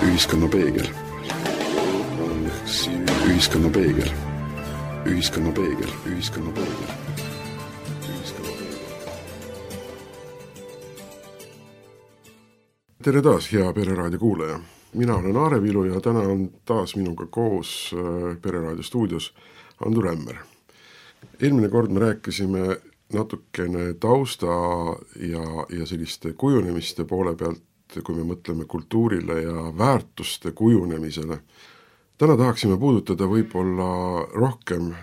Ühiskonna peegel. Ühiskonna peegel. Ühiskonna peegel. Ühiskonna peegel. Tere taas, hea Pereraadio kuulaja. Mina olen Aare Vilu ja täna on taas minuga koos Pereraadio stuudios Andu Rämmer. Eelmine kord me rääkisime natukene tausta ja selliste kujunemiste poole pealt, kui me mõtleme kultuurile ja väärtuste kujunemisele. Täna tahaksime puudutada võib-olla rohkem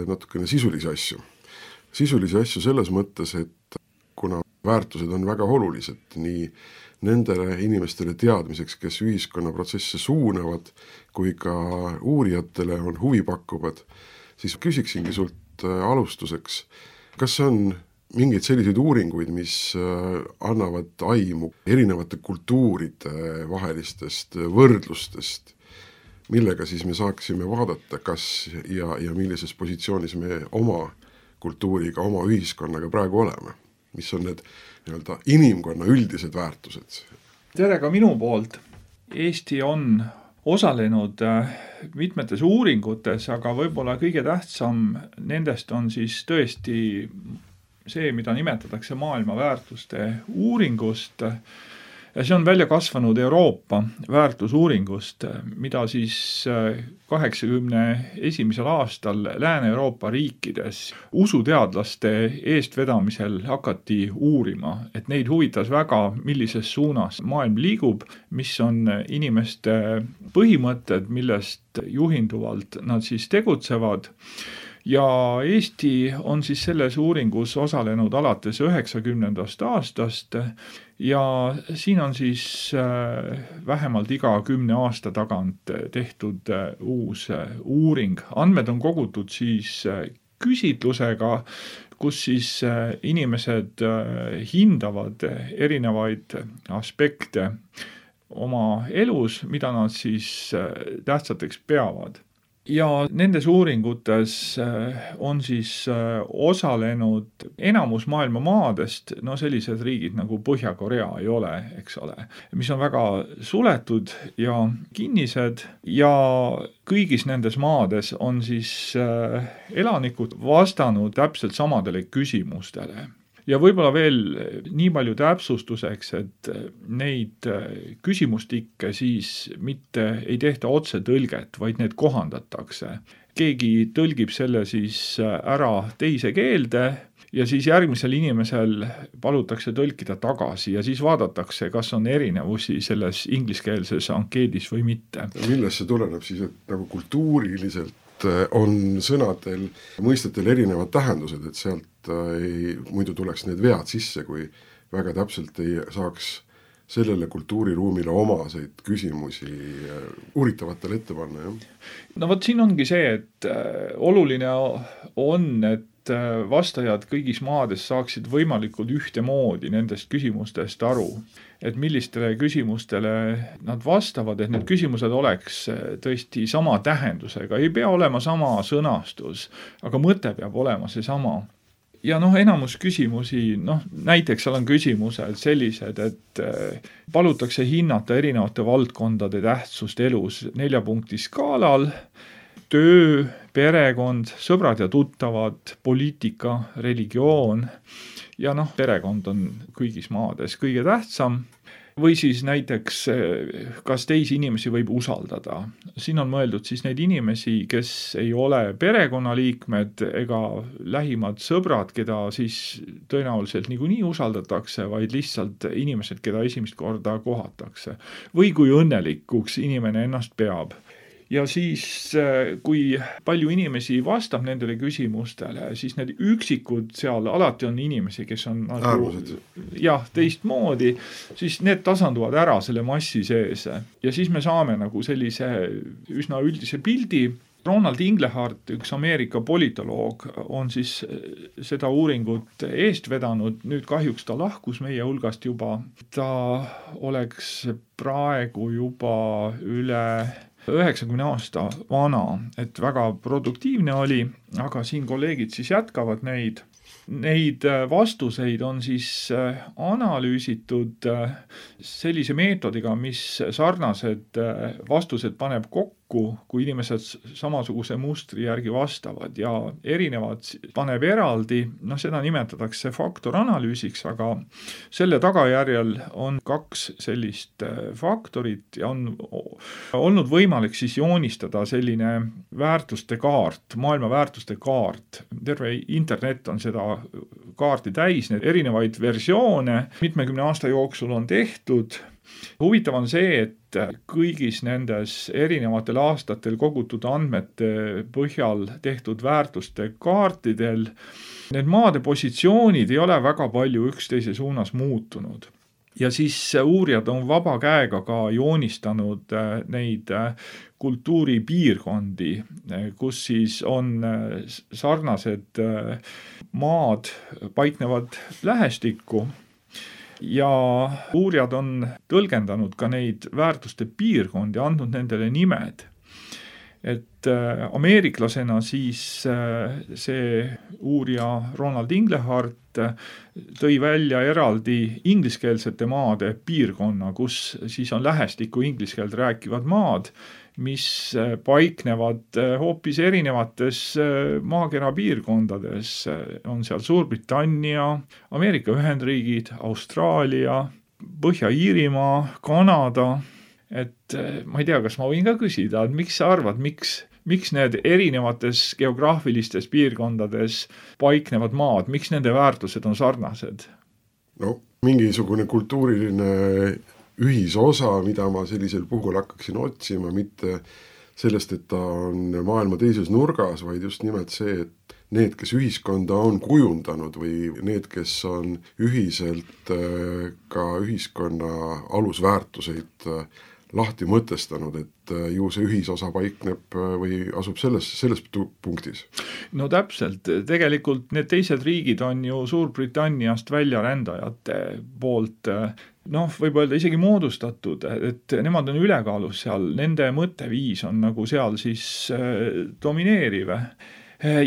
natukene sisulisi asju. Sisulisi asju selles mõttes, et kuna väärtused on väga olulised nii nendele inimestele teadmiseks, kes ühiskonnaprotsesse suunavad, kui ka uurijatele on huvi pakkuvad, siis küsiksingi sult alustuseks, kas on mingeid selliseid uuringuid, mis annavad aimu erinevate kultuuride vahelistest võrdlustest, millega siis me saaksime vaadata, kas ja millises positsioonis me oma kultuuriga, oma ühiskonnaga praegu oleme? Mis on need inimkonna üldised väärtused? Tere ka minu poolt. Eesti on osalenud mitmetes uuringutes, aga võib-olla kõige tähtsam nendest on siis tõesti see, mida nimetatakse maailma väärtuste uuringust. Ja see on välja kasvanud Euroopa väärtusuuringust, mida siis 81. aastal Lääne-Euroopa riikides usuteadlaste eestvedamisel hakati uurima, et neid huvitas väga, millises suunas maailm liigub, mis on inimeste põhimõtted, millest juhinduvalt nad siis tegutsevad. Ja Eesti on siis selles uuringus osalenud alates 90. aastast ja siin on siis vähemalt iga 10 aasta tagant tehtud uus uuring. Andmed on kogutud siis küsitlusega, kus siis inimesed hindavad erinevaid aspekte oma elus, mida nad siis tähtsateks peavad. Ja nendes uuringutes on siis osalenud enamus maailma maadest, sellised riigid nagu Põhja-Korea ei ole, eks ole, mis on väga suletud ja kinnised ja kõigis nendes maades on siis elanikud vastanud täpselt samadele küsimustele. Ja võib-olla veel nii palju täpsustuseks, et neid küsimustikke siis mitte ei tehta otse tõlget, vaid need kohandatakse. Keegi tõlgib selle siis ära teise keelde ja siis järgmisel inimesel palutakse tõlkida tagasi ja siis vaadatakse, kas on erinevusi selles ingliskeelses ankeedis või mitte. Millest see tuleneb siis, et nagu kultuuriliselt on sõnadel, mõistetel erinevad tähendused, et sealt muidu tuleks need vead sisse, kui väga täpselt ei saaks sellele kultuuriruumile omaseid küsimusi uuritavatele ette panna. Ja? Vot siin ongi see, et oluline on, et vastajad kõigis maades saaksid võimalikult ühtemoodi nendest küsimustest aru, et millistele küsimustele nad vastavad, et need küsimused oleks tõesti sama tähendusega, ei pea olema sama sõnastus, aga mõte peab olema see sama. Ja enamus küsimusi, näiteks seal on küsimused sellised, et palutakse hinnata erinevate valdkondade tähtsust elus 4 punkti skaalal, töö, perekond, sõbrad ja tuttavad, poliitika, religioon ja perekond on kõigis maades kõige tähtsam. Või siis näiteks, kas teisi inimesi võib usaldada. Siin on mõeldud siis neid inimesi, kes ei ole perekonnaliikmed ega lähimad sõbrad, keda siis tõenäoliselt niikuinii usaldatakse, vaid lihtsalt inimesed, keda esimest korda kohatakse. Või kui õnnelikuks inimene ennast peab. Ja siis, kui palju inimesi vastab nendele küsimustele, siis need üksikud seal alati on inimesi, kes on teistmoodi, siis need tasanduvad ära selle massi sees. Ja siis me saame nagu sellise üsna üldise pildi. Ronald Inglehart, üks Ameerika politoloog, on siis seda uuringut eest vedanud. Nüüd kahjuks ta lahkus meie hulgast juba. Ta oleks praegu juba üle 90 aasta vana, et väga produktiivne oli, aga siin kolleegid siis jätkavad neid. Neid vastuseid on siis analüüsitud sellise meetodiga, mis sarnased vastused paneb kokku, kui inimesed samasuguse mustri järgi vastavad ja erinevad paneb eraldi, seda nimetatakse faktoranalüüsiks, aga selle tagajärjel on 2 sellist faktorit ja on olnud võimalik siis joonistada selline väärtuste kaart, maailma väärtuste kaart. Terve internet on seda kaarti täis, need erinevaid versioone mitmekümne aasta jooksul on tehtud. Huvitav on see, et kõigis nendes erinevatel aastatel kogutud andmete põhjal tehtud väärtuste kaartidel need maade positsioonid ei ole väga palju üksteise suunas muutunud. Ja siis uurijad on vaba käega ka joonistanud neid kultuuripiirkondi, kus siis on sarnased maad paiknevad lähestikku. Ja uurijad on tõlgendanud ka neid väärtuste piirkondi, andnud nendele nimed. Et ameeriklasena siis see uurija Ronald Inglehart tõi välja eraldi ingliskeelsete maade piirkonna, kus siis on lähestikku ingliskeelt rääkivad maad, mis paiknevad hoopis erinevates maakera piirkondades. On seal Suurbritannia, Ameerika Ühendriigid, Austraalia, Põhja-Iirimaa, Kanada. Et ma ei tea, kas ma võin ka küsida, et miks sa arvad, miks need erinevates geograafilistes piirkondades paiknevad maad, miks nende väärtused on sarnased? No, mingisugune kultuuriline ühisosa, mida ma sellisel puhul hakkaksin otsima, mitte sellest, et ta on maailma teises nurgas, vaid just nimelt see, et need, kes ühiskonda on kujundanud või need, kes on ühiselt ka ühiskonna alusväärtuseid lahti mõtestanud, et ju see ühisosa paikneb või asub selles punktis. No täpselt, tegelikult need teised riigid on ju Suurbritanniast väljarändajate poolt, võib öelda isegi moodustatud, et nemad on ülekaalus seal, nende mõtteviis on nagu seal siis domineeriv.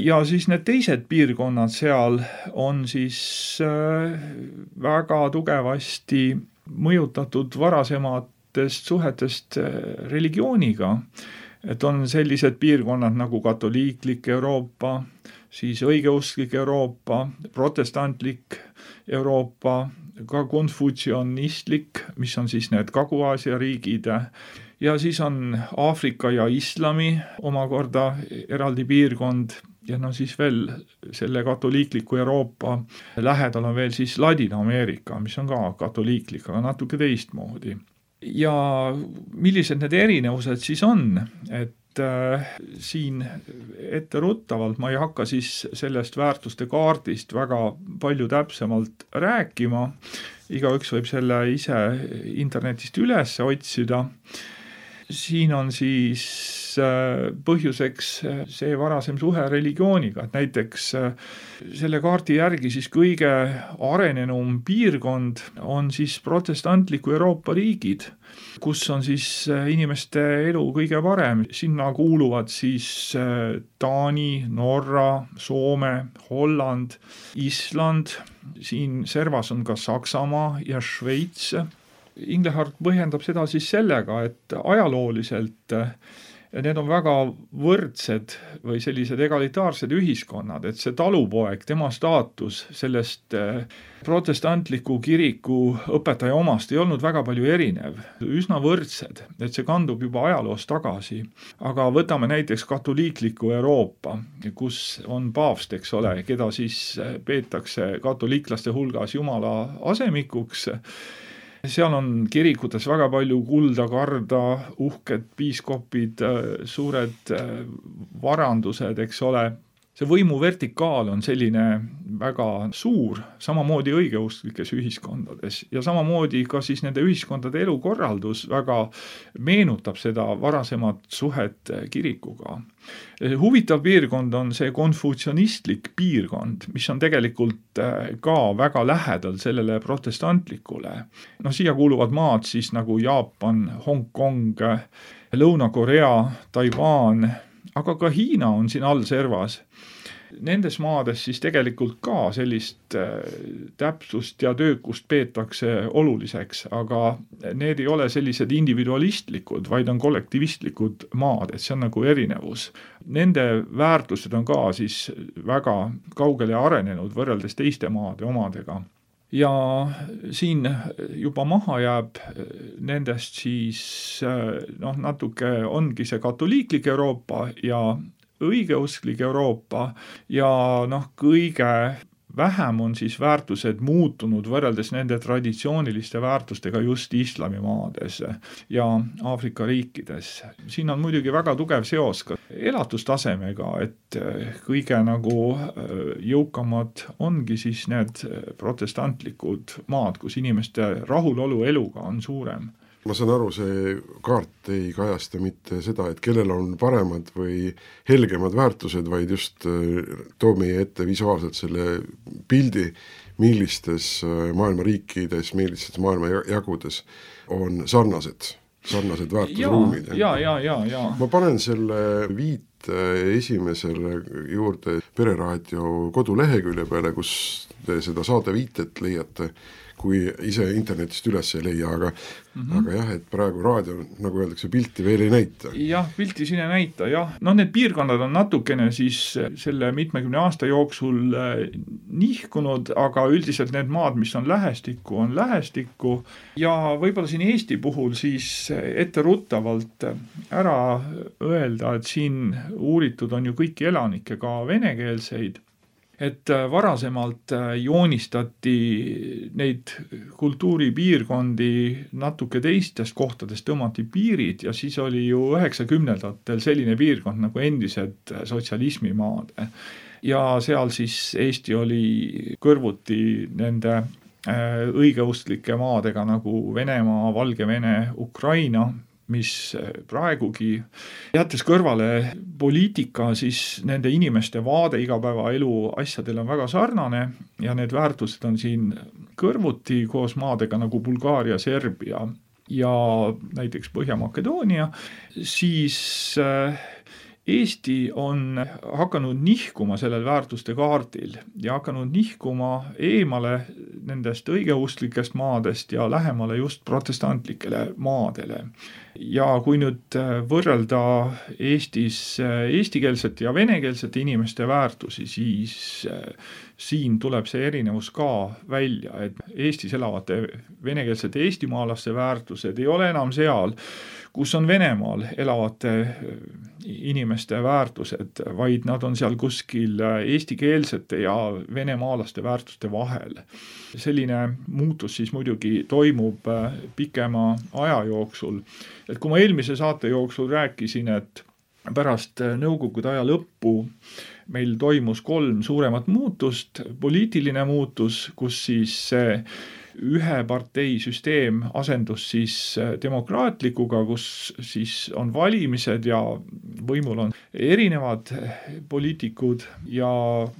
Ja siis need teised piirkonnad seal on siis väga tugevasti mõjutatud varasemad suhetest religiooniga, et on sellised piirkonnad nagu katoliiklik Euroopa, siis õigeusklik Euroopa, protestantlik Euroopa, ka konfutsionistlik, mis on siis need Kagu-Aasia riigid, ja siis on Aafrika ja islami omakorda eraldi piirkond, ja siis veel selle katoliikliku Euroopa lähedal on veel siis Ladina-Ameerika, mis on ka katoliiklik, aga natuke teistmoodi. Ja millised need erinevused siis on, et siin etteruttavalt ma ei hakka siis sellest väärtuste kaardist väga palju täpsemalt rääkima, igaüks võib selle ise internetist üles otsida. Siin on siis põhjuseks see varasem suhe religiooniga, et näiteks selle kaardi järgi siis kõige arenenum piirkond on siis protestantliku Euroopa riigid, kus on siis inimeste elu kõige parem. Sinna kuuluvad siis Taani, Norra, Soome, Holland, Island, siin servas on ka Saksamaa ja Šveits. Inglehart põhjendab seda siis sellega, et ajalooliselt need on väga võrdsed või sellised egalitaarsed ühiskonnad, et see talupoeg, tema staatus sellest protestantliku kiriku õpetaja omast ei olnud väga palju erinev, üsna võrdsed, et see kandub juba ajaloost tagasi. Aga võtame näiteks katoliikliku Euroopa, kus on paavst, eks ole, keda siis peetakse katoliiklaste hulgas Jumala asemikuks. Seal on kirikutes väga palju kulda, karda, uhked piiskopid, suured varandused, eks ole. See võimu vertikaal on selline väga suur, samamoodi õigeusklikes ühiskondades ja samamoodi ka siis nende ühiskondade elukorraldus väga meenutab seda varasemat suhet kirikuga. Huvitav piirkond on see konfutsionistlik piirkond, mis on tegelikult ka väga lähedal sellele protestantlikule. Siia kuuluvad maad siis nagu Jaapan, Hong Kong, Lõuna-Korea, Taiwan, aga ka Hiina on siin all servas. nendes maades siis tegelikult ka sellist täpsust ja töökust peetakse oluliseks, aga need ei ole sellised individualistlikud, vaid on kollektivistlikud maad, et see on nagu erinevus. Nende väärtused on ka siis väga kaugele arenenud võrreldes teiste maade omadega. Ja siin juba maha jääb nendest siis natuke ongi see katoliiklik Euroopa ja õigeusklik Euroopa ja kõige vähem on siis väärtused muutunud võrreldes nende traditsiooniliste väärtustega just islamimaades ja Aafrika riikides. Siin on muidugi väga tugev seos ka elatustasemega, et kõige nagu jõukamad ongi siis need protestantlikud maad, kus inimeste rahulolu eluga on suurem. Ma saan aru, see kaart ei kajasta mitte seda, et kellel on paremad või helgemad väärtused, vaid just toob meie ette visuaalselt selle pildi, millistes maailma riikides, millistes maailma jagudes on sarnased väärtusruumid. Ja. Ma panen selle viite esimesele juurde Pereraadio kodulehekülje peale, kus te seda saade viitet leiate, kui ise internetist üles ei leia, aga jah, et praegu raadio, nagu öeldakse, pilti veel ei näita. Jah, pilti siin ei näita, jah. Need piirkonnad on natukene siis selle 70 aasta jooksul nihkunud, aga üldiselt need maad, mis on lähestikku ja võib-olla siin Eesti puhul siis etteruttavalt ära öelda, et siin uuritud on ju kõiki elanikke, ka venekeelseid. Et varasemalt joonistati neid kultuuripiirkondi natuke teistest kohtadest, tõmmati piirid ja siis oli ju 90-ndatel selline piirkond nagu endised sotsialismimaad. Ja seal siis Eesti oli kõrvuti nende õigeusklike maadega nagu Venemaa, Valgevene, Ukraina, mis praegugi, jättes kõrvale poliitika, siis nende inimeste vaade igapäevaelu asjadel on väga sarnane ja need väärtused on siin kõrvuti koos maadega nagu Bulgaaria, Serbia ja näiteks Põhja-Makedoonia, siis Eesti on hakanud nihkuma sellel väärtuste kaardil ja hakanud nihkuma eemale nendest õigeusklikest maadest ja lähemale just protestantlikele maadele. Ja kui nüüd võrrelda Eestis eestikeelsete ja venekeelsete inimeste väärtusi, siis siin tuleb see erinevus ka välja, et Eestis elavate venekeelsete eestimaalaste väärtused ei ole enam seal, kus on Venemaal elavate inimeste väärtused, vaid nad on seal kuskil eestikeelsete ja venemaalaste väärtuste vahel. Selline muutus siis muidugi toimub pikema aja jooksul. Et kui ma eelmise saate jooksul rääkisin, et pärast nõukogude aja lõppu meil toimus 3 suuremat muutust, poliitiline muutus, kus siis ühe partei süsteem asendus siis demokraatlikuga, kus siis on valimised ja võimul on erinevad poliitikud ja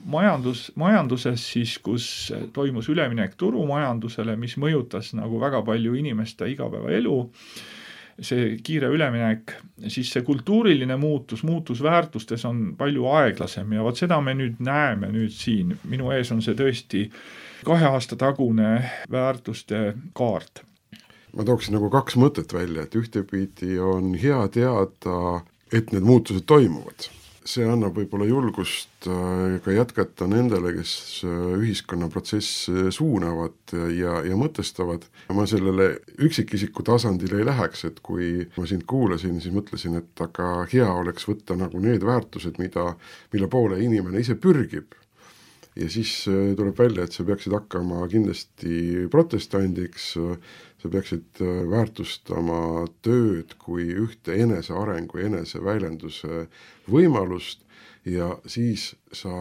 majanduses siis, kus toimus üleminek turumajandusele, mis mõjutas nagu väga palju inimeste igapäevaelu, see kiire üleminek, siis see kultuuriline muutus väärtustes on palju aeglasem ja seda me nüüd näeme nüüd siin. Minu ees on see tõesti 2 aasta tagune väärtuste kaart. Ma tooksin nagu 2 mõtet välja, et ühtepidi on hea teada, et need muutused toimuvad. See annab võib-olla julgust ka jätkata nendele, kes ühiskonnaprotsess suunavad ja mõtestavad. Ma sellele üksikisiku tasandile ei läheks, et kui ma sind kuulasin, siis mõtlesin, et aga hea oleks võtta nagu need väärtused, mille poole inimene ise pürgib. Ja siis tuleb välja, et sa peaksid hakkama kindlasti protestandiks, sa peaksid väärtustama tööd kui ühte enesearengu ja eneseväljenduse võimalust ja siis sa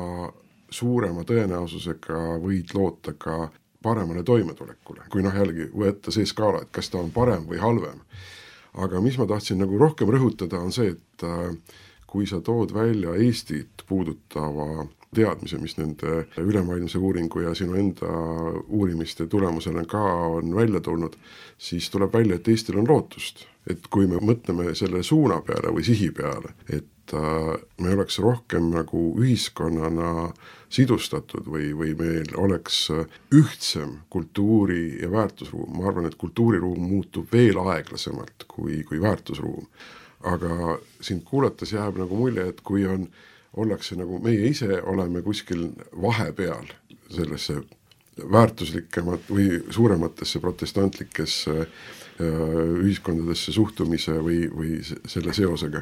suurema tõenäosusega võid loota ka paremale toimetulekule. Kui jällegi võtta see skaala, et kas ta on parem või halvem. Aga mis ma tahtsin nagu rohkem rõhutada on see, et kui sa tood välja Eestit puudutava teadmise, mis nende ülemaailmse uuringu ja sinu enda uurimiste tulemusena ka on välja tulnud, siis tuleb välja, et Eestil on lootust. Et kui me mõtleme selle suuna peale või sihi peale, et me oleks rohkem nagu ühiskonnana sidustatud või meil oleks ühtsem kultuuri- ja väärtusruum. Ma arvan, et kultuuriruum muutub veel aeglasemalt kui väärtusruum. Aga sind kuulates jääb nagu mulje, et kui ollakse nagu meie ise oleme kuskil vahepeal sellesse väärtuslikemat või suurematesse protestantlikesse ühiskondadesse suhtumise või selle seosega,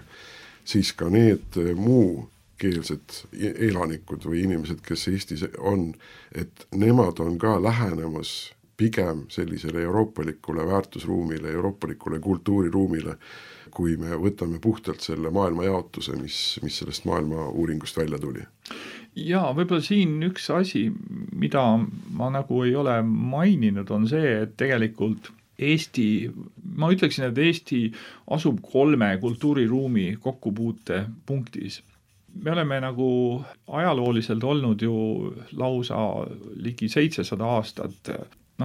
siis ka need muukeelsed elanikud või inimesed, kes Eestis on, et nemad on ka lähenemas pigem sellisele euroopalikule väärtusruumile, euroopalikule kultuuriruumile, kui me võtame puhtalt selle maailma jaotuse, mis sellest maailma uuringust välja tuli. Jaa, võib-olla siin üks asi, mida ma nagu ei ole maininud, on see, et tegelikult Eesti, ma ütleksin, et Eesti asub 3 kultuuriruumi kokkupuute punktis. Me oleme nagu ajalooliselt olnud ju lausa ligi 700 aastat,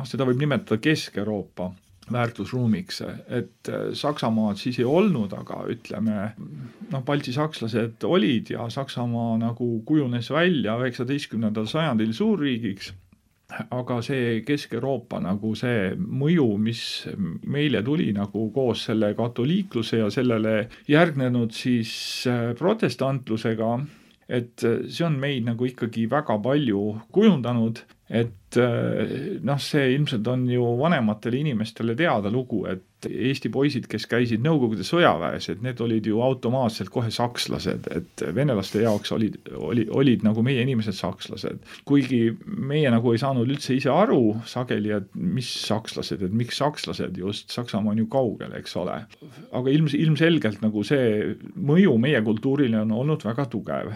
seda võib nimetada Kesk-Euroopa väärtusruumiks, et Saksamaad siis ei olnud, aga ütleme, baltisakslased olid ja Saksamaa nagu kujunes välja 19. sajandil suurriigiks, aga see Kesk-Euroopa nagu see mõju, mis meile tuli nagu koos selle katoliikluse ja sellele järgnenud siis protestantlusega, et see on meid nagu ikkagi väga palju kujundanud, et see ilmselt on ju vanematele inimestele teada lugu, et Eesti poisid, kes käisid Nõukogude sõjaväes, et need olid ju automaatselt kohe sakslased, et venelaste jaoks olid nagu meie inimesed sakslased. Kuigi meie nagu ei saanud üldse ise aru sageli, et mis sakslased, et miks sakslased just, Saksamaa on ju kaugel, eks ole. Aga ilmselgelt nagu see mõju meie kultuurile on olnud väga tugev.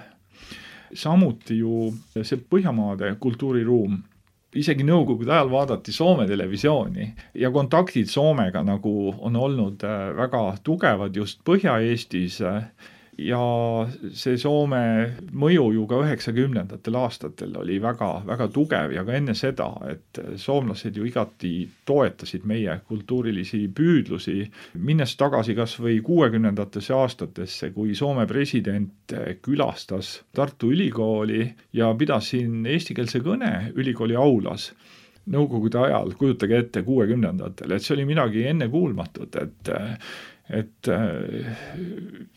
Samuti ju see Põhjamaade kultuuriruum, isegi Nõukogude ajal vaadati Soome televisiooni ja kontaktid Soomega nagu on olnud väga tugevad just Põhja-Eestis ja see Soome mõju ju ka 90. aastatel oli väga, väga tugev ja ka enne seda, et soomlased ju igati toetasid meie kultuurilisi püüdlusi, minnes tagasi kas või 60. aastatesse, kui Soome president külastas Tartu Ülikooli ja pidas siin eestikeelse kõne ülikooli aulas Nõukogude ajal, kujutage ette 60-ndatel, et see oli midagi ennekuulmatut, et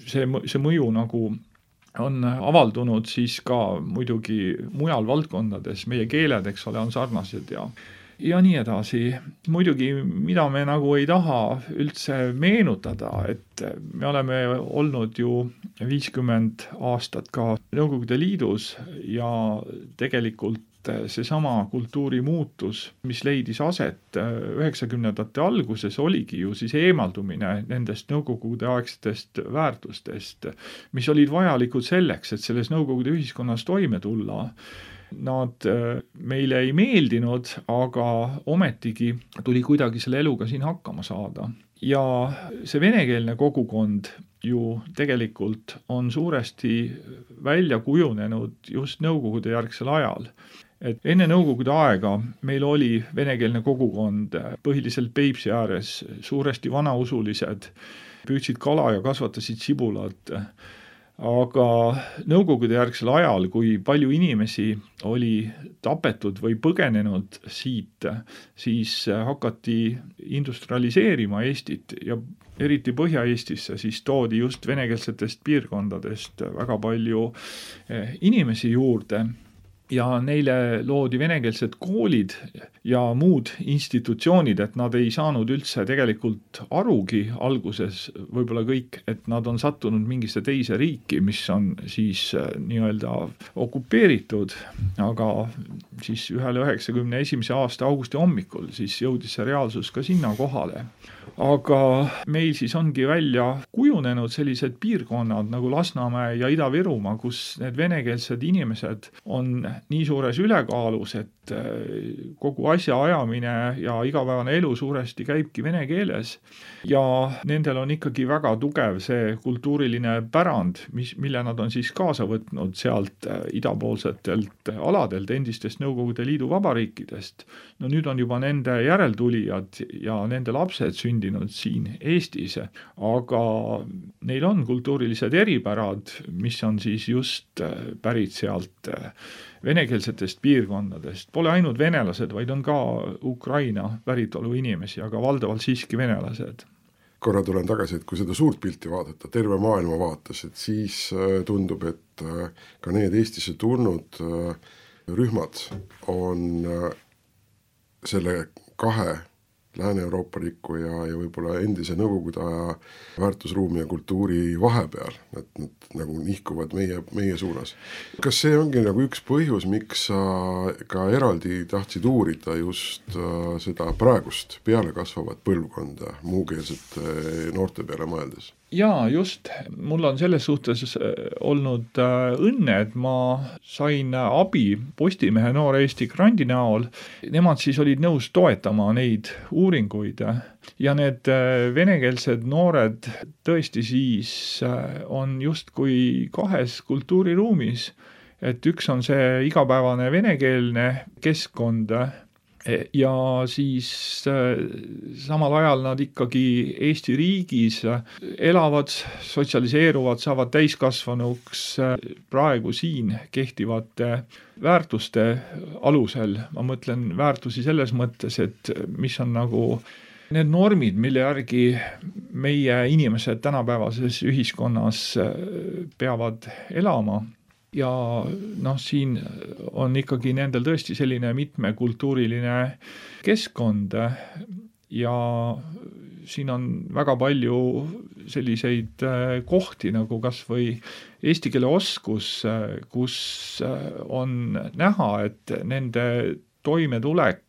see mõju nagu on avaldunud siis ka muidugi mujal valdkondades, meie keeled, eks ole, on sarnased ja nii edasi. Muidugi, mida me nagu ei taha üldse meenutada, et me oleme olnud ju 50 aastat ka Nõukogude Liidus ja tegelikult seesama kultuurimuutus, mis leidis aset 90-ndate alguses, oligi ju siis eemaldumine nendest Nõukogude aegsetest väärtustest, mis olid vajalikud selleks, et selles Nõukogude ühiskonnas toime tulla. Nad meile ei meeldinud, aga ometigi tuli kuidagi selle eluga siin hakkama saada. Ja see venekeelne kogukond ju tegelikult on suuresti välja kujunenud just Nõukogude järgsel ajal. Et enne Nõukogude aega meil oli venekeelne kogukond põhiliselt Peipsi ääres, suuresti vanausulised, püüdsid kala ja kasvatasid sibulat. Aga Nõukogude järgsel ajal, kui palju inimesi oli tapetud või põgenenud siit, siis hakati industrialiseerima Eestit ja eriti Põhja-Eestisse, siis toodi just venekeelsetest piirkondadest väga palju inimesi juurde. Ja neile loodi venekeelsed koolid ja muud institutsioonid, et nad ei saanud üldse tegelikult arugi alguses võib-olla kõik, et nad on sattunud mingisse teise riiki, mis on siis nii-öelda okupeeritud, aga siis 91. aasta augusti hommikul siis jõudis see reaalsus ka sinna kohale. Aga meil siis ongi välja kujunenud sellised piirkonnad nagu Lasnamäe ja Ida-Virumaa, kus need venekeelsed inimesed on nii suures ülekaalus, et kogu asja ajamine ja igapäevane elu suuresti käibki vene keeles ja nendel on ikkagi väga tugev see kultuuriline pärand, mille nad on siis kaasa võtnud sealt idapoolsetelt aladelt, endistest Nõukogude Liidu vabariikidest. No nüüd on juba nende järeltulijad ja nende lapsed sündinud sündinud siin Eestis, aga neil on kultuurilised eripärad, mis on siis just pärit sealt venekeelsetest piirkondadest. Pole ainult venelased, vaid on ka Ukraina päritolu inimesi, aga valdavalt siiski venelased. Korra tulen tagasi, et kui seda suurt pilti vaadata, terve maailma vaates, et siis tundub, et ka need Eestisse tulnud rühmad on selle kahe Lääne-Euroopaliku ja võib-olla endise Nõukogude aja väärtusruumi ja kultuuri vahepeal, et nad nagu nihkuvad meie suunas. Kas see ongi nagu üks põhjus, miks sa ka eraldi tahtsid uurida just seda praegust peale kasvavat põlvkonda muukeelsete noorte peale mõeldes? Jaa, just. Mul on selles suhtes olnud õnne, et ma sain abi Postimehe Noore Eesti grandi näol. Nemad siis olid nõus toetama neid uuringuid ja need venekeelsed noored tõesti siis on justkui kahes kultuuriruumis, et üks on see igapäevane venekeelne keskkond ja siis samal ajal nad ikkagi Eesti riigis elavad, sotsialiseeruvad, saavad täiskasvanuks praegu siin kehtivate väärtuste alusel. Ma mõtlen väärtusi selles mõttes, et mis on nagu need normid, mille järgi meie inimesed tänapäevases ühiskonnas peavad elama. Ja siin on ikkagi nendel tõesti selline mitmekultuuriline keskkond ja siin on väga palju selliseid kohti, nagu kas või eesti keele oskus, kus on näha, et nende toimetulek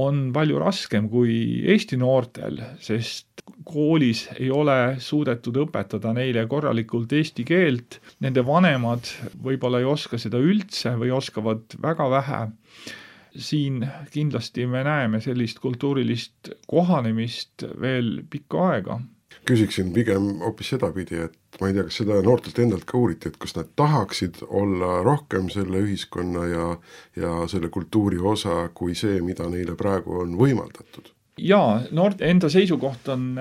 on palju raskem kui Eesti noortel, sest koolis ei ole suudetud õpetada neile korralikult eesti keelt, nende vanemad võib-olla ei oska seda üldse või oskavad väga vähe. Siin kindlasti me näeme sellist kultuurilist kohanemist veel pikka aega. Küsiksin pigem hoopis sedapidi, et ma ei tea, kas seda noortelt endalt ka uuriti, et kas nad tahaksid olla rohkem selle ühiskonna ja selle kultuuri osa kui see, mida neile praegu on võimaldatud? Jaa, noorte enda seisukoht on,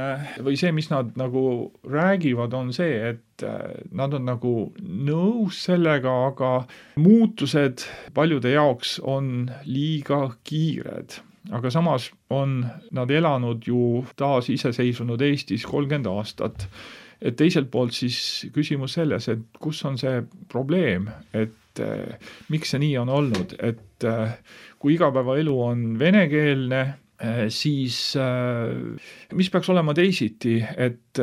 või see, mis nad nagu räägivad, on see, et nad on nagu nõus sellega, aga muutused paljude jaoks on liiga kiired. Aga samas on nad elanud ju taas iseseisvunud Eestis 30 aastat. Et teiselt poolt siis küsimus selles, et kus on see probleem, et miks see nii on olnud, et kui igapäevaelu on venekeelne, siis mis peaks olema teisiti, et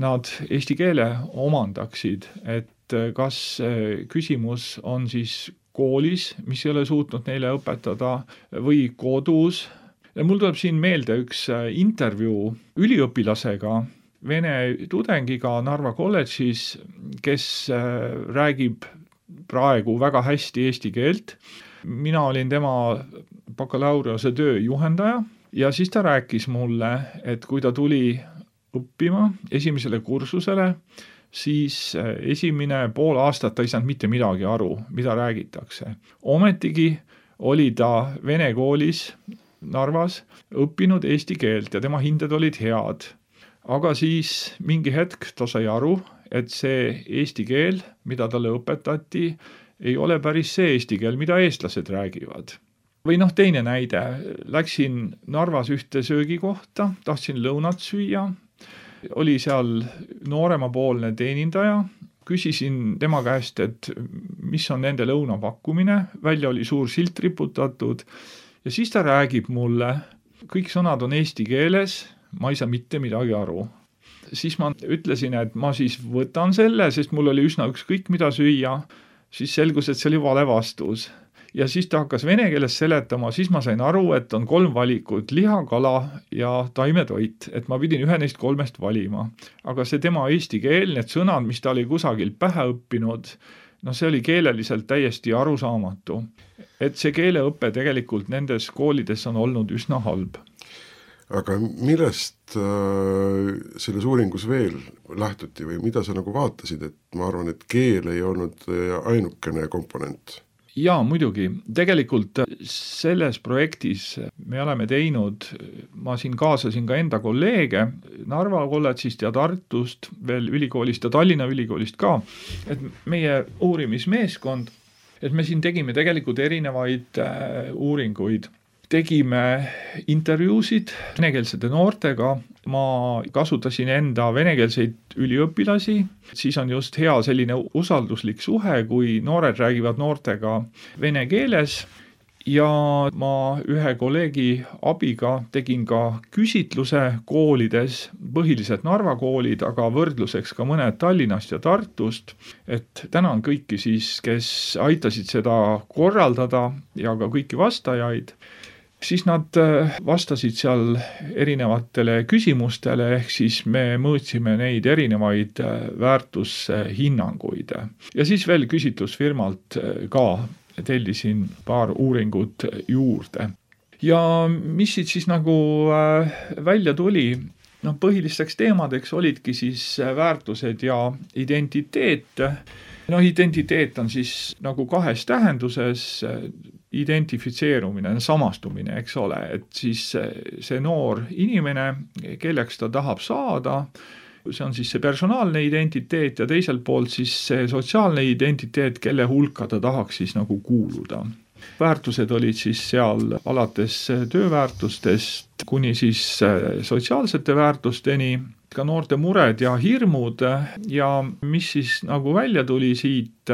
nad eesti keele omandaksid, et kas küsimus on siis koolis, mis ei ole suutnud neile õpetada, või kodus. Ja mul tuleb siin meelde üks intervjuu üliõpilasega, vene tudengiga Narva kolledžis, kes räägib praegu väga hästi eesti keelt. Mina olin tema bakalaureuse töö juhendaja ja siis ta rääkis mulle, et kui ta tuli õppima esimesele kursusele, siis esimene pool aastat ta ei saanud mitte midagi aru, mida räägitakse. Ometigi oli ta vene koolis Narvas õppinud eesti keelt ja tema hinded olid head. Aga siis mingi hetk ta sai aru, et see eesti keel, mida talle õpetati, ei ole päris see eesti keel, mida eestlased räägivad. Või teine näide, läksin Narvas ühte söögikohta, tahtsin lõunat süüa, oli seal nooremapoolne teenindaja, küsisin tema käest, et mis on nende lõunapakkumine, välja oli suur silt riputatud ja siis ta räägib mulle, kõik sõnad on eesti keeles, ma ei saa mitte midagi aru. Siis ma ütlesin, et ma siis võtan selle, sest mul oli üsna ükskõik mida süüa, siis selgus, et see oli vale vastus. Ja siis ta hakkas vene keeles seletama, siis ma sain aru, et on 3 valikut, liha, kala ja taimetoit, et ma pidin ühe neist 3 valima. Aga see tema eesti keel, need sõnad, mis ta oli kusagil pähe õppinud, see oli keeleliselt täiesti arusaamatu. Et see keeleõppe tegelikult nendes koolides on olnud üsna halb. Aga millest selles uuringus veel lähtuti või mida sa nagu vaatasid, et ma arvan, et keel ei olnud ainukene komponent? Jaa, muidugi. Tegelikult selles projektis me oleme teinud, ma siin kaasasin ka enda kolleege Narva kolledžist ja Tartust, veel ülikoolist ja Tallinna ülikoolist ka, et meie uurimismeeskond, et me siin tegime tegelikult erinevaid uuringuid. Tegime intervjuusid venekeelsete noortega, ma kasutasin enda venekeelseid üliõpilasi, siis on just hea selline usalduslik suhe, kui noored räägivad noortega vene keeles ja ma ühe kolleegi abiga tegin ka küsitluse koolides, põhiliselt Narva koolid, aga võrdluseks ka mõned Tallinnast ja Tartust, et tänan kõiki siis, kes aitasid seda korraldada ja ka kõiki vastajaid. Siis nad vastasid seal erinevatele küsimustele, ehk siis me mõõtsime neid erinevaid väärtushinnanguid. Ja siis veel küsitlusfirmalt ka tellisin paar uuringut juurde. Ja mis siit siis nagu välja tuli, põhilisteks teemadeks olidki siis väärtused ja identiteet. Identiteet on siis nagu kahes tähenduses, identifitseerumine, samastumine, eks ole, et siis see noor inimene, kelleks ta tahab saada, see on siis see personaalne identiteet ja teiselt poolt siis see sotsiaalne identiteet, kelle hulka ta tahaks siis nagu kuuluda. Väärtused olid siis seal alates tööväärtustest kuni siis sotsiaalsete väärtusteni, ka noorte mured ja hirmud ja mis siis nagu välja tuli siit,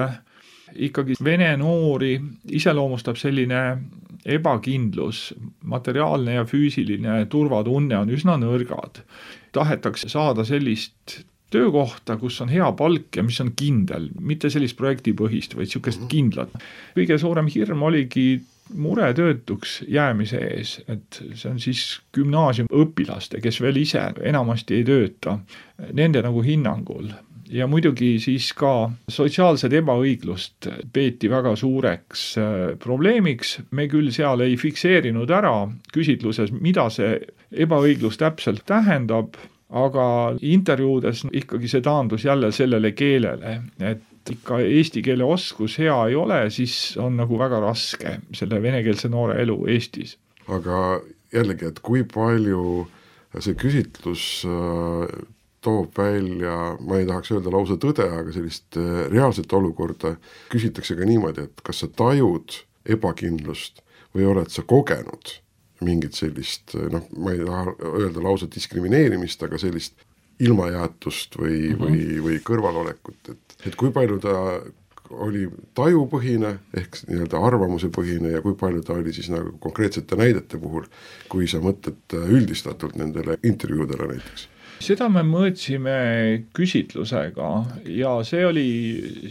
ikkagi vene noori iseloomustab selline ebakindlus, materiaalne ja füüsiline turvatunne on üsna nõrgad. Tahetakse saada sellist töökohta, kus on hea palk ja mis on kindel, mitte sellist projektipõhist, vaid niisugust kindlat. Kõige suurem hirm oligi mure töötuks jäämise ees, et see on siis gümnaasiumõpilaste, kes veel ise enamasti ei tööta, nende nagu hinnangul. Ja muidugi siis ka sotsiaalsed ebaõiglust peeti väga suureks probleemiks. Me küll seal ei fikseerinud ära küsitluses, mida see ebaõiglus täpselt tähendab, aga intervjuudes ikkagi see taandus jälle sellele keelele, et ikka eesti keele oskus hea ei ole, siis on nagu väga raske selle venekeelse noore elu Eestis. Aga jällegi, et kui palju see küsitlus toob välja, ma ei tahaks öelda lausa tõde, aga sellist reaalset olukorda küsitakse ka niimoodi, et kas sa tajud ebakindlust või oled sa kogenud mingit sellist, ma ei taha öelda lausa diskrimineerimist, aga sellist ilmajäetust või kõrvalolekut, et kui palju ta oli tajupõhine ehk nii-öelda arvamusepõhine ja kui palju ta oli siis nagu konkreetsete näidete puhul, kui sa mõtled üldistatult nendele intervjuudele näiteks. Seda me mõõtsime küsitlusega ja see oli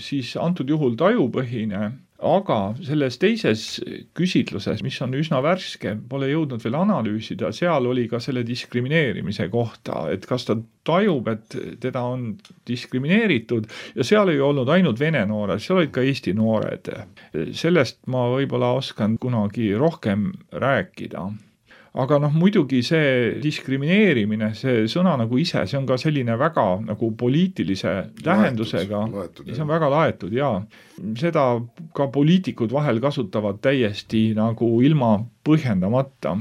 siis antud juhul tajupõhine, aga selles teises küsitluses, mis on üsna värske, pole jõudnud veel analüüsida, seal oli ka selle diskrimineerimise kohta, et kas ta tajub, et teda on diskrimineeritud ja seal ei olnud ainult vene noored, seal olid ka eesti noored. Sellest ma võib-olla oskan kunagi rohkem rääkida. Aga muidugi see diskrimineerimine, see sõna nagu ise, see on ka selline väga nagu poliitilise tähendusega. See on väga laetud, jaa. Seda ka poliitikud vahel kasutavad täiesti nagu ilma põhjendamata.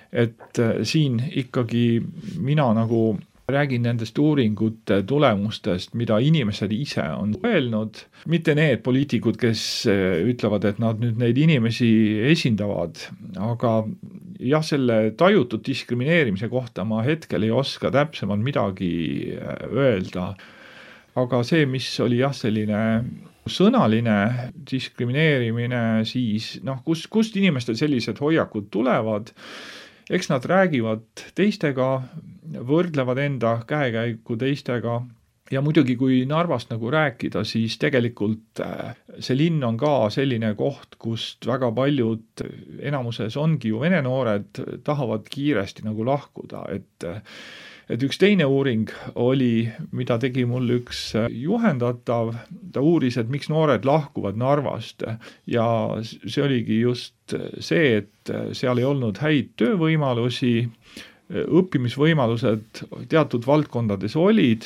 Et siin ikkagi mina nagu räägin nendest uuringute tulemustest, mida inimesed ise on öelnud, mitte need poliitikud, kes ütlevad, et nad nüüd neid inimesi esindavad, aga jah, selle tajutud diskrimineerimise kohta ma hetkel ei oska täpsemalt midagi öelda, aga see, mis oli jah selline sõnaline diskrimineerimine, siis kust inimestel sellised hoiakud tulevad, eks nad räägivad teistega, võrdlevad enda käekäiku teistega ja muidugi kui Narvast nagu rääkida, siis tegelikult see linn on ka selline koht, kust väga paljud, enamuses ongi ju vene noored, tahavad kiiresti nagu lahkuda, et üks teine uuring oli, mida tegi mul üks juhendatav, ta uuris, et miks noored lahkuvad Narvast ja see oligi just see, et seal ei olnud häid töövõimalusi, õppimisvõimalused teatud valdkondades olid,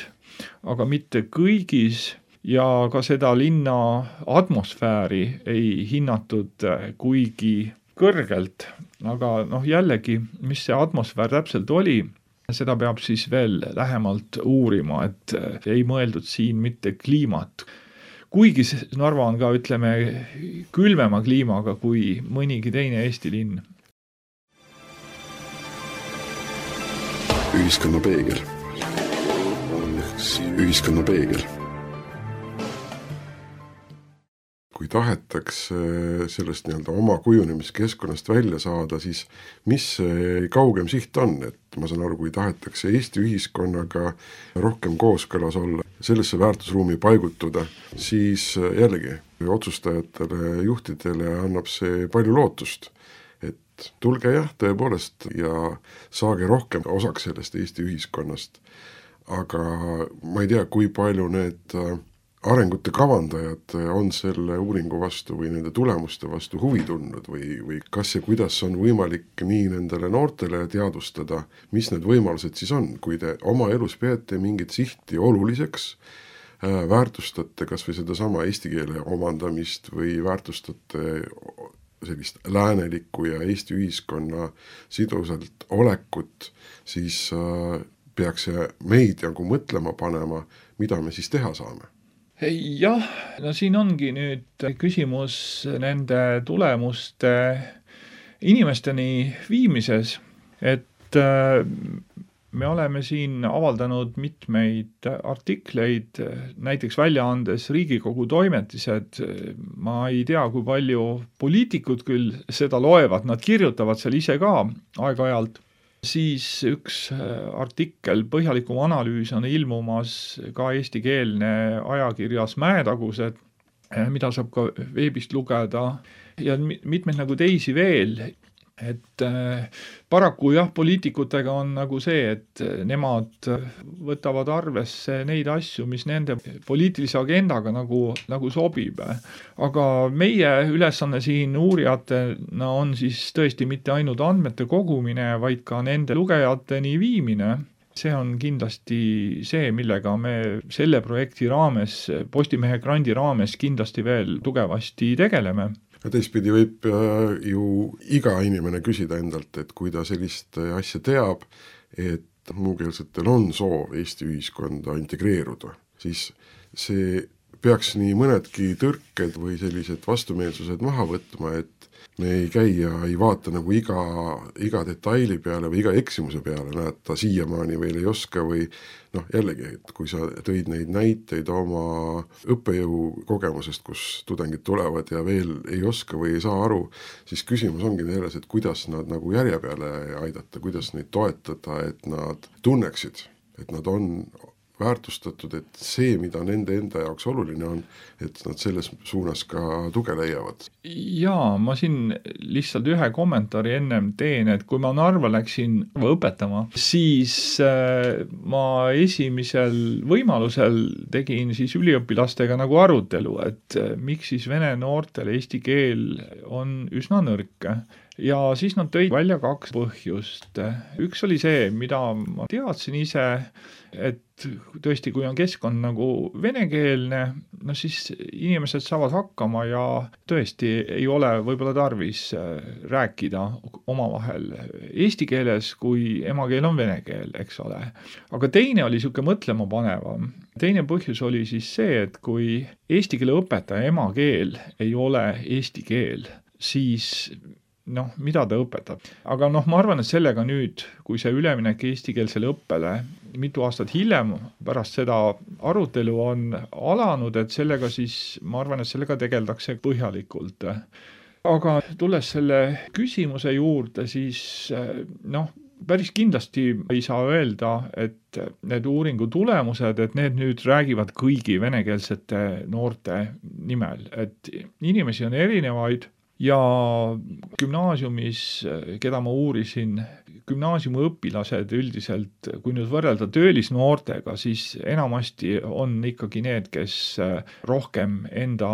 aga mitte kõigis ja ka seda linna atmosfääri ei hinnatud kuigi kõrgelt, aga jällegi, mis see atmosfäär täpselt oli, seda peab siis veel lähemalt uurima, et ei mõeldud siin mitte kliimat. Kuigi Narva on ka, ütleme, külmema kliimaga kui mõnigi teine Eesti linn. Ühiskonna peegel. Ühiskonna peegel. Kui tahetakse sellest oma kujunemiskeskkonnast välja saada, siis mis see kaugem siht on? Et ma saan aru, kui tahetakse Eesti ühiskonnaga rohkem kooskõlas olla, sellesse väärtusruumi paigutuda, siis jällegi otsustajatele, juhtidele annab see palju lootust, et tulge tõepoolest ja saage rohkem osaks sellest Eesti ühiskonnast. Aga ma ei tea, kui palju need arengute kavandajad on selle uuringu vastu või nende tulemuste vastu huvi tundnud või kas ja kuidas on võimalik nii nendele noortele teadvustada, mis need võimalused siis on, kui te oma elus peate mingit sihti oluliseks, väärtustate kas või sedasama eesti keele omandamist või väärtustate sellist läänelikku ja Eesti ühiskonna sidusalt olekut, siis peaks see meid mõtlema panema, mida me siis teha saame. Jah, siin ongi nüüd küsimus nende tulemuste inimesteni viimises, et me oleme siin avaldanud mitmeid artikleid, näiteks väljaandes Riigikogu toimetised. Ma ei tea, kui palju poliitikud küll seda loevad, nad kirjutavad seal ise ka aeg-ajalt. Siis üks artikkel, põhjalikum analüüs on ilmumas ka eestikeelne ajakirjas Mäetagused, mida saab ka veebist lugeda ja mitmeid teisi veel. Et paraku poliitikutega on see, et nemad võtavad arvesse neid asju, mis nende poliitilise agendaga nagu sobib. Aga meie ülesanne siin uurijatena on siis tõesti mitte ainult andmete kogumine, vaid ka nende lugejateni viimine. See on kindlasti see, millega me selle projekti raames, Postimehe grandi raames kindlasti veel tugevasti tegeleme. Ja teistpidi võib ju iga inimene küsida endalt, et kui ta sellist asja teab, et muukeelsetel on soov Eesti ühiskonda integreeruda, siis see peaks nii mõnedki tõrked või sellised vastumeelsused maha võtma, et me ei käi ja ei vaata iga detaili peale või iga eksimuse peale, näed, ta siiamaani veel ei oska või jällegi, et kui sa tõid neid näiteid oma õppejõu kogemusest, kus tudengid tulevad ja veel ei oska või ei saa aru, siis küsimus ongi selles, et kuidas nad järje peale aidata, kuidas neid toetada, et nad tunneksid, et nad on väärtustatud, et see, mida nende enda jaoks oluline on, et nad selles suunas ka tuge leiavad. Jaa, ma siin lihtsalt ühe kommentaari ennem teen, et kui ma Narva läksin õpetama, siis ma esimesel võimalusel tegin siis üliõpilastega arutelu, et miks siis vene noortel eesti keel on üsna nõrk. Ja siis nad tõid välja 2 põhjust. Üks oli see, mida ma teadsin ise, et tõesti, kui on keskkond venekeelne, siis inimesed saavad hakkama ja tõesti ei ole võib-olla tarvis rääkida omavahel eesti keeles, kui emakeel on vene keel, eks ole. Aga teine oli siuke mõtlema panevam. Teine põhjus oli siis see, et kui eesti keele õpetaja emakeel ei ole eesti keel, siis mida ta õpetab. Aga ma arvan, et sellega nüüd, kui see üleminek eestikeelsele õppele mitu aastat hiljem pärast seda arutelu on alanud, et sellega siis, ma arvan, et sellega tegeldakse põhjalikult. Aga tulles selle küsimuse juurde, siis päris kindlasti ei saa öelda, et need uuringu tulemused, et need nüüd räägivad kõigi venekeelsete noorte nimel, et inimesi on erinevaid. Ja gümnaasiumis, keda ma uurisin, gümnaasiumi õpilased üldiselt, kui nüüd võrrelda töölisnoortega, siis enamasti on ikkagi need, kes rohkem enda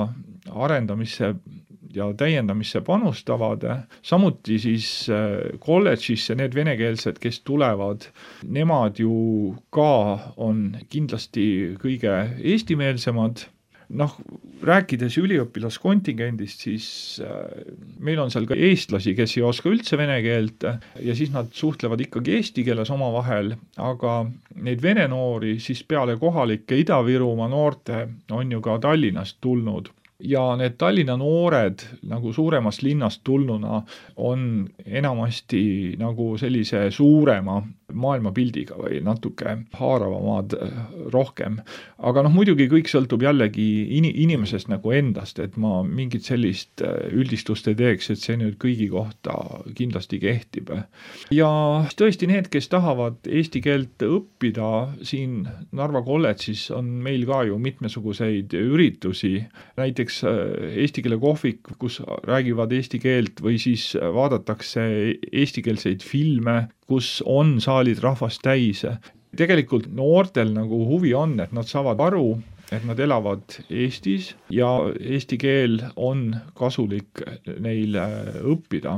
arendamisse ja täiendamisse panustavad. Samuti siis kolledžisse need venekeelsed, kes tulevad, nemad ju ka on kindlasti kõige eestimeelsemad. rääkides üliõpilaskontingendist, siis meil on seal ka eestlasi, kes ei oska üldse vene keelt ja siis nad suhtlevad ikkagi eesti keeles omavahel, aga neid vene noori siis peale kohalike Ida-Virumaa noorte on ju ka Tallinnast tulnud. Ja need Tallinna noored nagu suuremast linnast tulnuna on enamasti nagu sellise suurema maailmapildiga või natuke haaravamad rohkem. Aga muidugi kõik sõltub jällegi inimesest nagu endast, et ma mingit sellist üldistust ei teeks, et see nüüd kõigi kohta kindlasti kehtib. Ja tõesti need, kes tahavad eesti keelt õppida siin Narva kolledžis, on meil ka ju mitmesuguseid üritusi, näiteks eesti keele kohvik, kus räägivad eesti keelt või siis vaadatakse eestikeelseid filme, kus on saalid rahvast täis. Tegelikult noortel nagu huvi on, et nad saavad aru, et nad elavad Eestis ja eesti keel on kasulik neil õppida.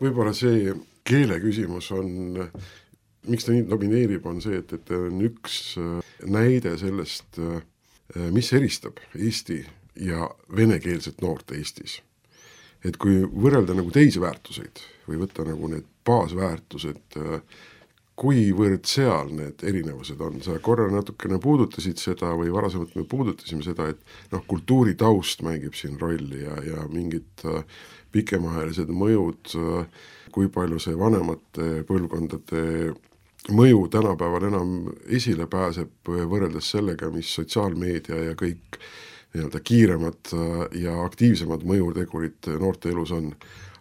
Võib-olla see keele küsimus on, miks ta nii domineerib, on see, et on üks näide sellest, mis eristab Eesti ja venekeelset noort Eestis. Et kui võrrelda nagu teisi väärtuseid või võtta nagu need baasväärtused, kuivõrd seal need erinevused on. Sa korra natukene puudutasid seda või varasemalt me puudutasime seda, et kultuuritaust mängib siin rolli ja mingid pikemaajalised mõjud, kui palju see vanemate põlvkondade mõju tänapäeval enam esile pääseb võrreldes sellega, mis sotsiaalmeedia ja kõik nii-öelda kiiremad ja aktiivsemad mõjutegurid noorte elus on.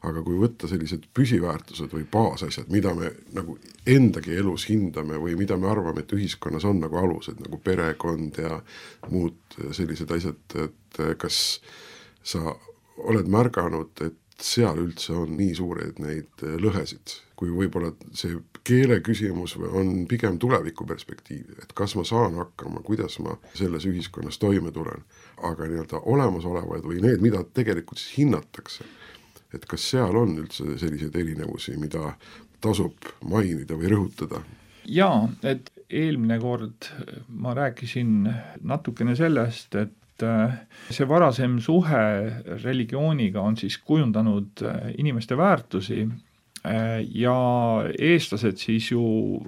Aga kui võtta sellised püsiväärtused või baasasjad, mida me nagu endagi elus hindame või mida me arvame, et ühiskonnas on nagu alused, nagu perekond ja muud sellised asjad, et kas sa oled märganud, et seal üldse on nii suured neid lõhesid, kui võib-olla see keele küsimus on pigem tuleviku perspektiiv, et kas ma saan hakkama, kuidas ma selles ühiskonnas toime tulen, aga nii-öelda olemasolevaid või need, mida tegelikult siis hinnatakse, et kas seal on üldse selliseid erinevusi, mida tasub mainida või rõhutada? Jaa, et eelmine kord ma rääkisin natukene sellest, et see varasem suhe religiooniga on siis kujundanud inimeste väärtusi ja eestlased siis ju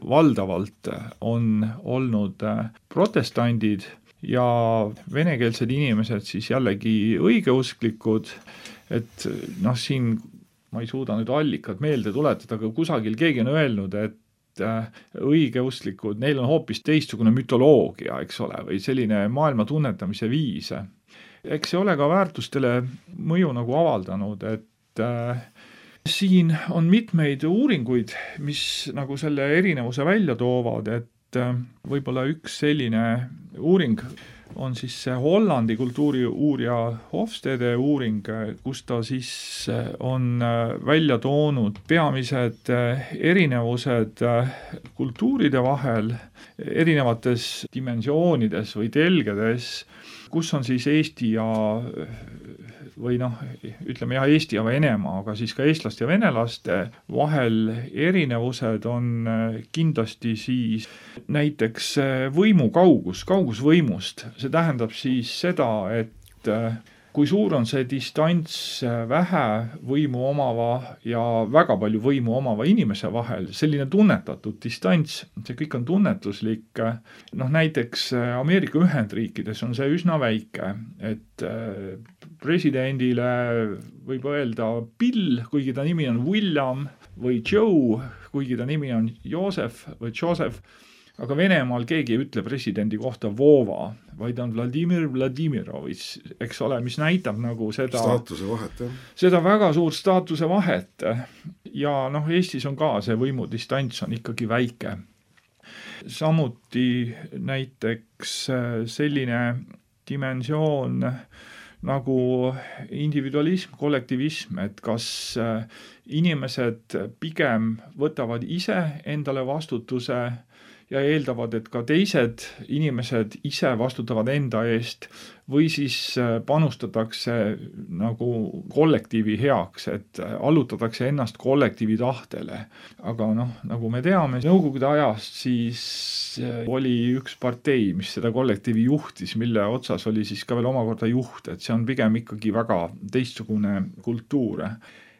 valdavalt on olnud protestandid ja venekeelsed inimesed siis jällegi õigeusklikud, et siin ma ei suuda nüüd allikad meelde tuletada, aga kusagil keegi on öelnud, et õigeusklikud, neil on hoopis teistsugune mütoloogia, eks ole, või selline maailma tunnetamise viis. Eks see ole ka väärtustele mõju nagu avaldanud, et siin on mitmeid uuringuid, mis nagu selle erinevuse välja toovad, et võib-olla üks selline uuring on siis see Hollandi kultuuriuurija Hofstede uuring, kus ta siis on välja toonud peamised erinevused kultuuride vahel erinevates dimensioonides või telgedes, kus on siis Eesti ja või ütleme Eesti ja Venemaa, aga siis ka eestlaste ja venelaste vahel erinevused on kindlasti siis näiteks võimu kaugus võimust. See tähendab siis seda, et kui suur on see distants vähe võimu omava ja väga palju võimu omava inimese vahel, selline tunnetatud distants, see kõik on tunnetuslik. Näiteks Ameerika Ühendriikides on see üsna väike, et presidendile võib öelda Bill, kuigi ta nimi on William, või Joe, kuigi ta nimi on Joosef või Joseph, aga Venemaal keegi ei ütle presidendi kohta Vova, vaid on Vladimir Vladimirovitš, eks ole, mis näitab nagu seda staatuse vahet, jah. Seda väga suurt staatuse vahet. Ja Eestis on ka see võimudistants on ikkagi väike. Samuti näiteks selline dimensioon nagu individualism, kollektivism, et kas inimesed pigem võtavad ise endale vastutuse ja eeldavad, et ka teised inimesed ise vastutavad enda eest või siis panustatakse nagu kollektiivi heaks, et allutatakse ennast kollektiivi tahtele. Aga nagu me teame, Nõukogude ajast siis oli üks partei, mis seda kollektiivi juhtis, mille otsas oli siis ka veel omakorda juht, et see on pigem ikkagi väga teistsugune kultuur.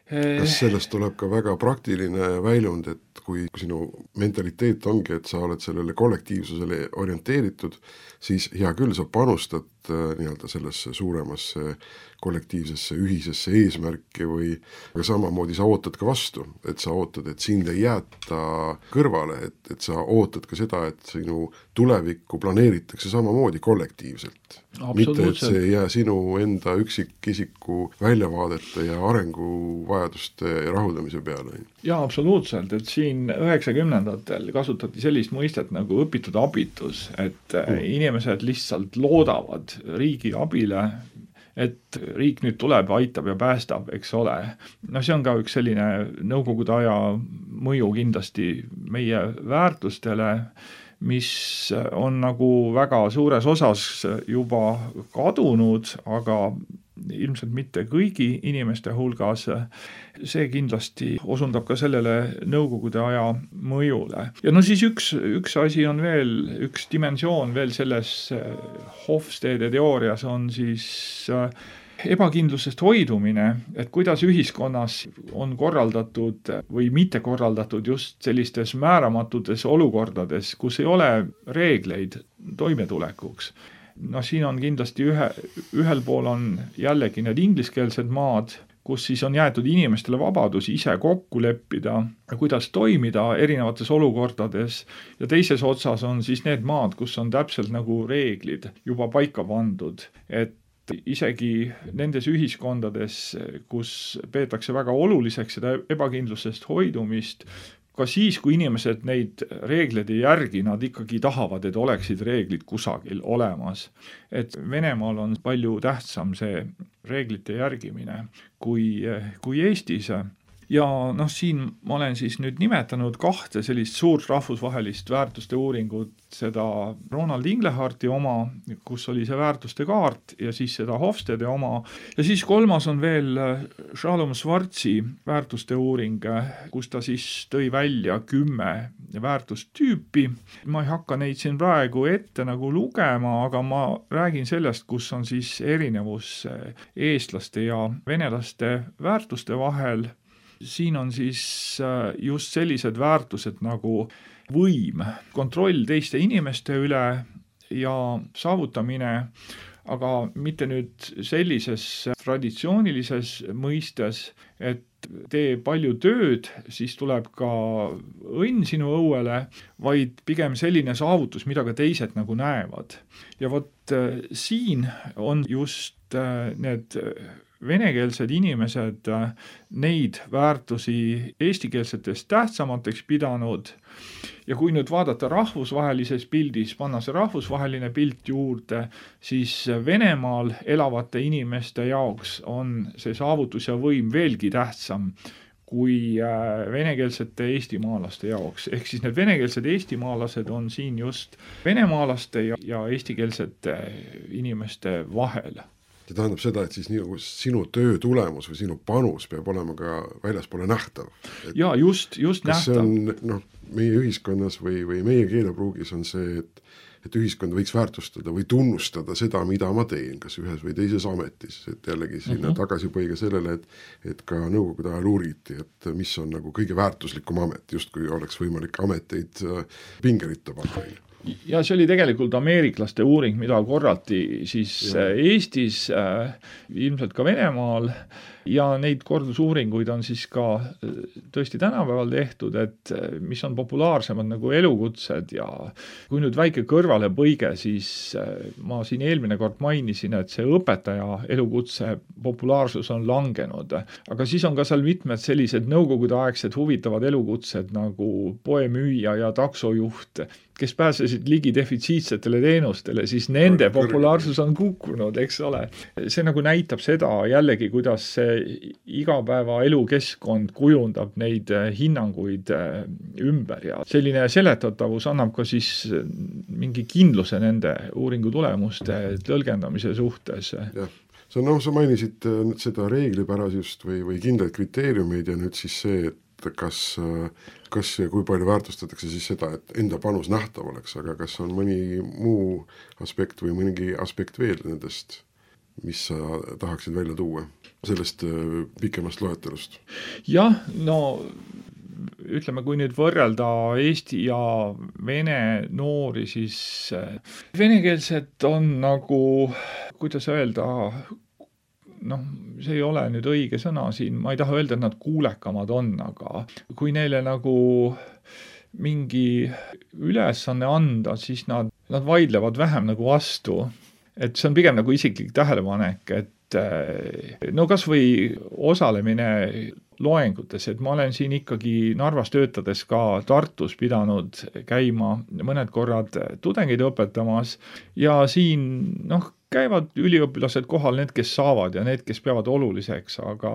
Kas sellest tuleb ka väga praktiline väljund, et kui sinu mentaliteet ongi, et sa oled sellele kollektiivsusele orienteeritud, siis hea küll, sa panustad nii-öelda sellesse suuremasse kollektiivsesse ühisesse eesmärki aga samamoodi sa ootad ka vastu, et sa ootad, et sind ei jäeta kõrvale, et sa ootad ka seda, et sinu tulevikku planeeritakse samamoodi kollektiivselt. Mitte, et see ei jää sinu enda üksikisiku väljavaadete ja arenguvajaduste rahuldamise peale. Jaa, absoluutselt, et siin 90-ndatel kasutati sellist mõistet nagu õpitud abitus, et inimesed lihtsalt loodavad riigi abile, et riik nüüd tuleb, aitab ja päästab, eks ole. See on ka üks selline Nõukogude aja mõju kindlasti meie väärtustele, mis on nagu väga suures osas juba kadunud, aga ilmselt mitte kõigi inimeste hulgas. See kindlasti osundab ka sellele Nõukogude aja mõjule. Ja siis üks asi on veel, üks dimensioon veel selles Hofstede teoorias on siis ebakindlusest hoidumine, et kuidas ühiskonnas on korraldatud või mitte korraldatud just sellistes määramatutes olukordades, kus ei ole reegleid toimetulekuks. Siin on kindlasti ühel pool on jällegi need ingliskeelsed maad, kus siis on jäetud inimestele vabadus ise kokku leppida, kuidas toimida erinevates olukordades, ja teises otsas on siis need maad, kus on täpselt nagu reeglid juba paika pandud, et isegi nendes ühiskondades, kus peetakse väga oluliseks seda ebakindlusest hoidumist, ka siis, kui inimesed neid reegleid ei järgi, nad ikkagi tahavad, et oleksid reeglid kusagil olemas. Et Venemaal on palju tähtsam see reeglite järgimine kui Eestis. Ja siin ma olen siis nüüd nimetanud 2 sellist suurt rahvusvahelist väärtuste uuringut, seda Ronald Ingleharti oma, kus oli see väärtuste kaart, ja siis seda Hofstede oma. Ja siis 3. on veel Shalom Schwartzi väärtuste uuring, kus ta siis tõi välja 10 väärtustüüpi. Ma ei hakka neid siin praegu ette nagu lugema, aga ma räägin sellest, kus on siis erinevus eestlaste ja venelaste väärtuste vahel. Siin on siis just sellised väärtused nagu võim, kontroll teiste inimeste üle ja saavutamine, aga mitte nüüd sellises traditsioonilises mõistes, et tee palju tööd, siis tuleb ka õnn sinu õuele, vaid pigem selline saavutus, mida ka teised nagu näevad. Ja siin on just need venekeelsed inimesed neid väärtusi eestikeelsetest tähtsamateks pidanud. Ja kui nüüd vaadata rahvusvahelises pildis, panna see rahvusvaheline pilt juurde, siis Venemaal elavate inimeste jaoks on see saavutus ja võim veelgi tähtsam kui venekeelsete eestimaalaste jaoks. Ehk siis need venekeelsed eestimaalased on siin just venemaalaste ja eestikeelsete inimeste vahel. See tähendab seda, et siis sinu töö tulemus või sinu panus peab olema ka väljaspoole nähtav. Ja just nähtav. See on meie ühiskonnas või meie keelepruugis on see, et ühiskond võiks väärtustada või tunnustada seda, mida ma teen, kas ühes või teises ametis. Et jällegi sinna tagasipõige sellele, et ka Nõukogude ajal uuriti, et mis on nagu kõige väärtuslikum amet, just kui oleks võimalik ameteid pingeritta panna. Ja see oli tegelikult ameeriklaste uuring, mida korrati siis Eestis, ilmselt ka Venemaal, ja neid kordusuuringuid on siis ka tõesti tänapäeval tehtud, et mis on populaarsemad nagu elukutsed, ja kui nüüd väike kõrvalepõige, siis ma siin eelmine kord mainisin, et see õpetaja elukutse populaarsus on langenud, aga siis on ka seal mitmed sellised nõukogudeaegsed huvitavad elukutsed nagu poemüüja ja taksojuht, kes pääsesid ligi defitsiitsetele teenustele, siis nende populaarsus on kukkunud, eks ole. See nagu näitab seda jällegi, kuidas see igapäeva elukeskkond kujundab neid hinnanguid ümber ja selline seletatavus annab ka siis mingi kindluse nende uuringu tulemuste tõlgendamise suhtes. Jah, sa mainisid seda reeglipärasust või kindlaid kriteeriumeid ja nüüd siis see, et kas ja kui palju väärtustatakse siis seda, et enda panus nähtav oleks, aga kas on mõni muu aspekt või mõningi aspekt veel nendest, mis sa tahaksid välja tuua sellest pikemast loetelust? Jah, no ütleme, kui nüüd võrrelda Eesti ja vene noori, siis venekeelsed on nagu, kuidas öelda, see ei ole nüüd õige sõna siin, ma ei taha öelda, et nad kuulekamad on, aga kui neile nagu mingi ülesanne anda, siis nad vaidlevad vähem nagu vastu. Et see on pigem nagu isiklik tähelepanek, et no kas või osalemine loengutes, et ma olen siin ikkagi Narvas töötades ka Tartus pidanud käima mõned korrad tudengeid õpetamas ja siin käivad üliõpilased kohal, need, kes saavad ja need, kes peavad oluliseks, aga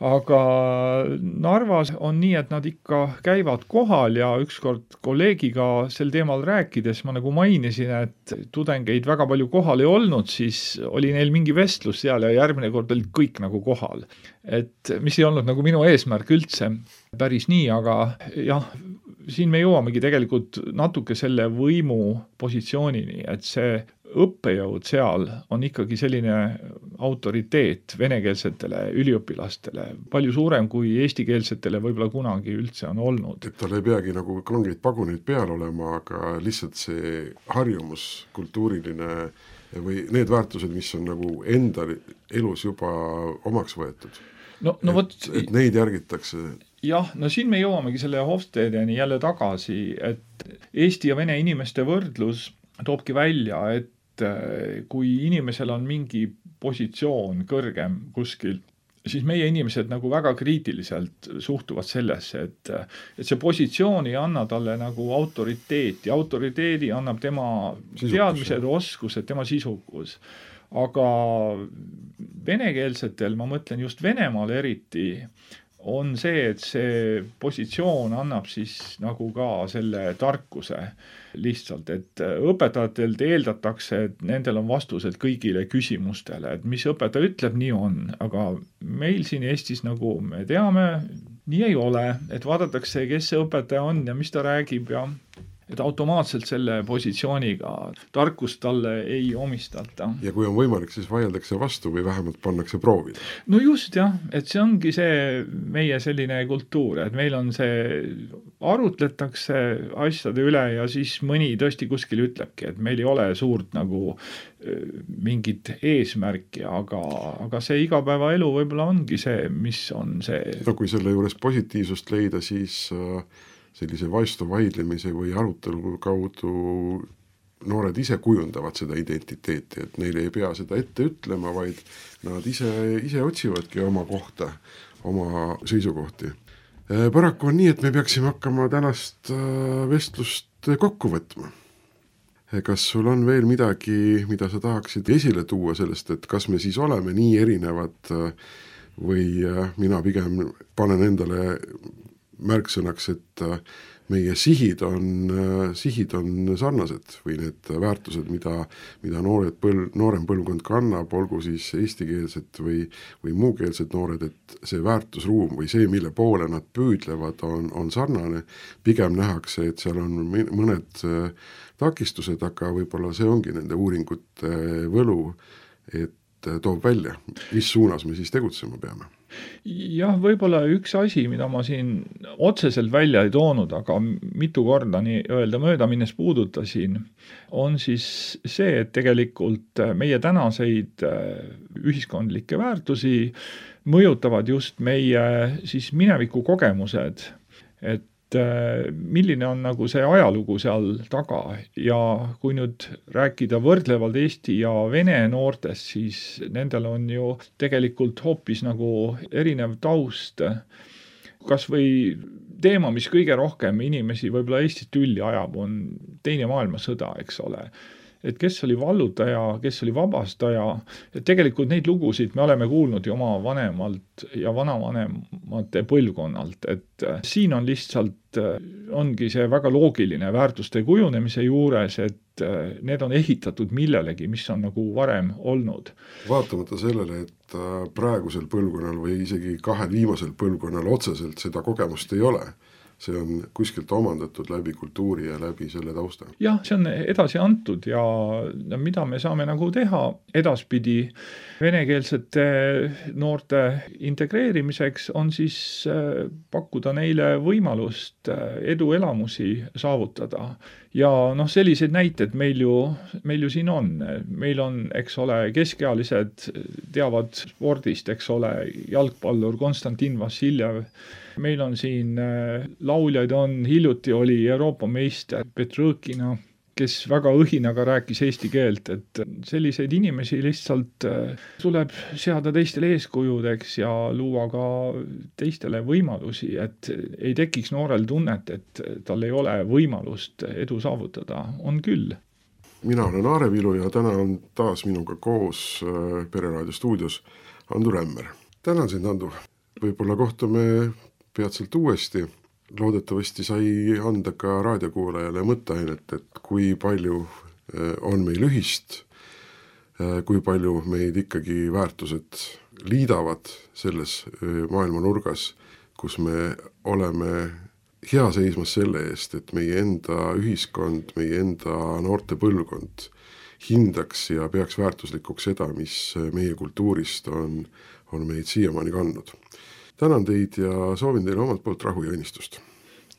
Narvas on nii, et nad ikka käivad kohal ja ükskord kolleegiga sel teemal rääkides ma nagu mainisin, et tudengeid väga palju kohal ei olnud, siis oli neil mingi vestlus seal ja järgmine kord olid kõik nagu kohal. Et mis ei olnud nagu minu eesmärk üldse päris nii, aga jah, siin me jõuamegi tegelikult natuke selle võimu positsioonini, et see õppejõud seal on ikkagi selline autoriteet venekeelsetele üliõpilastele, palju suurem kui eestikeelsetele võib-olla kunagi üldse on olnud. Et tal ei peagi nagu kangeid paguneid peal olema, aga lihtsalt see harjumus, kultuuriline või need väärtused, mis on nagu enda elus juba omaks võetud. Et neid järgitakse. Jah, siin me jõuamegi selle Hofstedeni jälle tagasi, et Eesti ja vene inimeste võrdlus toobki välja, et kui inimesel on mingi positsioon kõrgem kuskil, siis meie inimesed nagu väga kriitiliselt suhtuvad sellesse, et see positsioon ei anna talle nagu autoriteeti. Autoriteedi annab tema teadmised, oskused, tema sisukus. Aga venekeelsetel, ma mõtlen just Venemaal eriti, on see, et see positsioon annab siis nagu ka selle tarkuse lihtsalt, et õpetajatelt eeldatakse, et nendel on vastused kõigile küsimustele, et mis õpetaja ütleb, nii on, aga meil siin Eestis nagu me teame, nii ei ole, et vaadatakse, kes see õpetaja on ja mis ta räägib ja et automaatselt selle positsiooniga tarkust talle ei omistata. Ja kui on võimalik, siis vaieldakse vastu või vähemalt pannakse proovida. No just jah, et see ongi see meie selline kultuur, et meil on see, arutletakse asjade üle ja siis mõni tõesti kuskil ütlebki, et meil ei ole suurt nagu mingit eesmärki, aga see igapäevaelu võib-olla ongi see, mis on see. No kui selle juures positiivsust leida, siis sellise vastu vaidlemise või arutelu kaudu noored ise kujundavad seda identiteeti, et neile ei pea seda ette ütlema, vaid nad ise otsivadki oma kohta, oma seisukohti. Paraku on nii, et me peaksime hakkama tänast vestlust kokku võtma. Kas sul on veel midagi, mida sa tahaksid esile tuua sellest, et kas me siis oleme nii erinevad või mina pigem panen endale märksõnaks, et meie sihid on sarnased või need väärtused, mida noorem põlvkond kannab, olgu siis eestikeelsed või muukeelsed noored, et see väärtusruum või see, mille poole nad püüdlevad, on sarnane. Pigem nähakse, et seal on mõned takistused, aga võib-olla see ongi nende uuringute võlu, et toob välja, mis suunas me siis tegutsema peame. Jah, võib-olla üks asi, mida ma siin otseselt välja ei toonud, aga mitu korda nii öelda mööda minnes puudutasin, on siis see, et tegelikult meie tänaseid ühiskondlikke väärtusi mõjutavad just meie siis mineviku kogemused, et milline on nagu see ajalugu seal taga ja kui nüüd rääkida võrdlevalt Eesti ja vene noortest, siis nendel on ju tegelikult hoopis nagu erinev taust. Kas või teema, mis kõige rohkem inimesi võib-olla Eestit tülli ajab, on teine maailmasõda, eks ole. et kes oli vallutaja, kes oli vabastaja, et tegelikult neid lugusid me oleme kuulnud ju oma vanemalt ja vanavanemate põlvkonnalt, et siin on lihtsalt, ongi see väga loogiline väärtuste kujunemise juures, et need on ehitatud millelegi, mis on nagu varem olnud. Vaatamata sellele, et praegusel põlvkonnal või isegi kahel viimasel põlvkonnal otseselt seda kogemust ei ole, see on kuskilt omandatud läbi kultuuri ja läbi selle tausta. Jah, see on edasi antud ja mida me saame nagu teha edaspidi venekeelsete noorte integreerimiseks on siis pakkuda neile võimalust eduelamusi saavutada. Ja sellised näited meil ju siin on. Meil on, eks ole, keskealised teavad spordist, eks ole, jalgpallur Konstantin Vassiljev. Meil on siin lauljaid hiljuti oli Euroopa meister Petrõkina, kes väga õhinaga rääkis eesti keelt, et selliseid inimesi lihtsalt tuleb seada teistele eeskujudeks ja luua ka teistele võimalusi, et ei tekiks noorel tunnet, et tal ei ole võimalust edu saavutada. On küll. Mina olen Aare Vilu ja täna on taas minuga koos Pereraadio stuudios Andu Rämmer. Tänan sind, Andu. Võib-olla kohtume peatselt uuesti. Loodetavasti sai anda ka raadiokuulajale mõtteainet, et kui palju on meil ühist, kui palju meid ikkagi väärtused liidavad selles maailma nurgas, kus me oleme hea seismas selle eest, et meie enda ühiskond, meie enda noorte põlvkond hindaks ja peaks väärtuslikuks seda, mis meie kultuurist on meid siiamaani kandnud. Tänan teid ja soovin teile omalt poolt rahu ja õnnistust.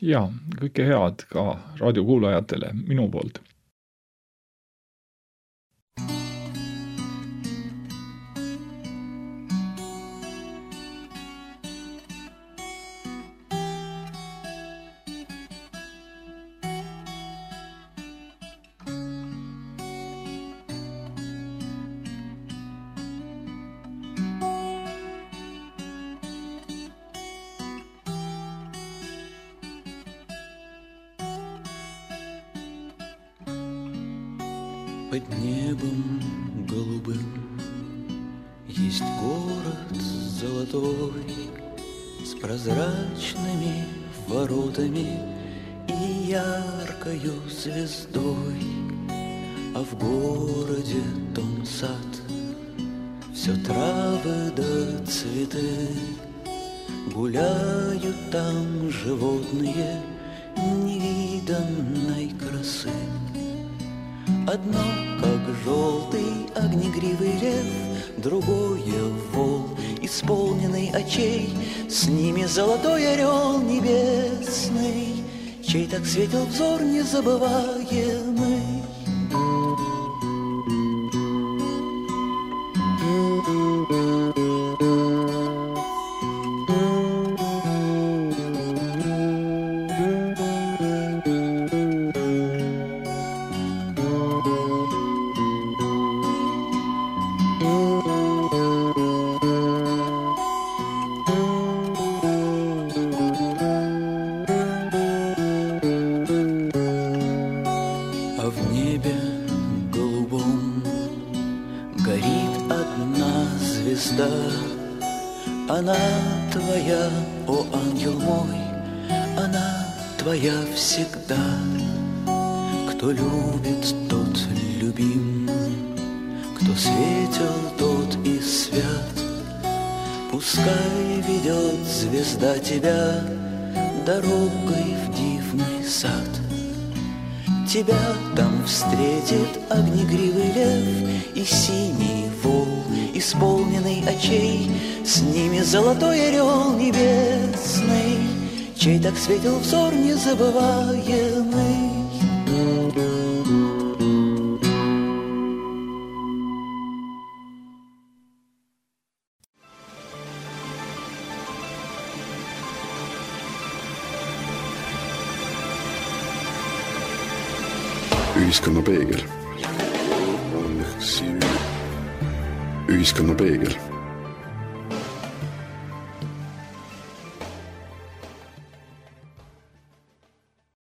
Ja, kõike head ka raadiokuulajatele minu poolt. Под небом голубым есть город золотой с прозрачными воротами и яркою звездой, а в городе том сад, все травы да цветы, гуляют там животные невиданной красы. Одно, как желтый огнегривый лев, другое вол, исполненный очей, с ними золотой орел небесный, чей так светил взор незабываемый. Она твоя, о ангел мой, она твоя всегда. Кто любит, тот любим, кто светел, тот и свят. Пускай ведет звезда тебя дорогой в дивный сад. Тебя там встретит огнегривый лев и синий вол, исполненный очей, с ними золотой орел небесный, чей так светил взор незабываемый. Ühiskonna peegel. Ühiskonna peegel.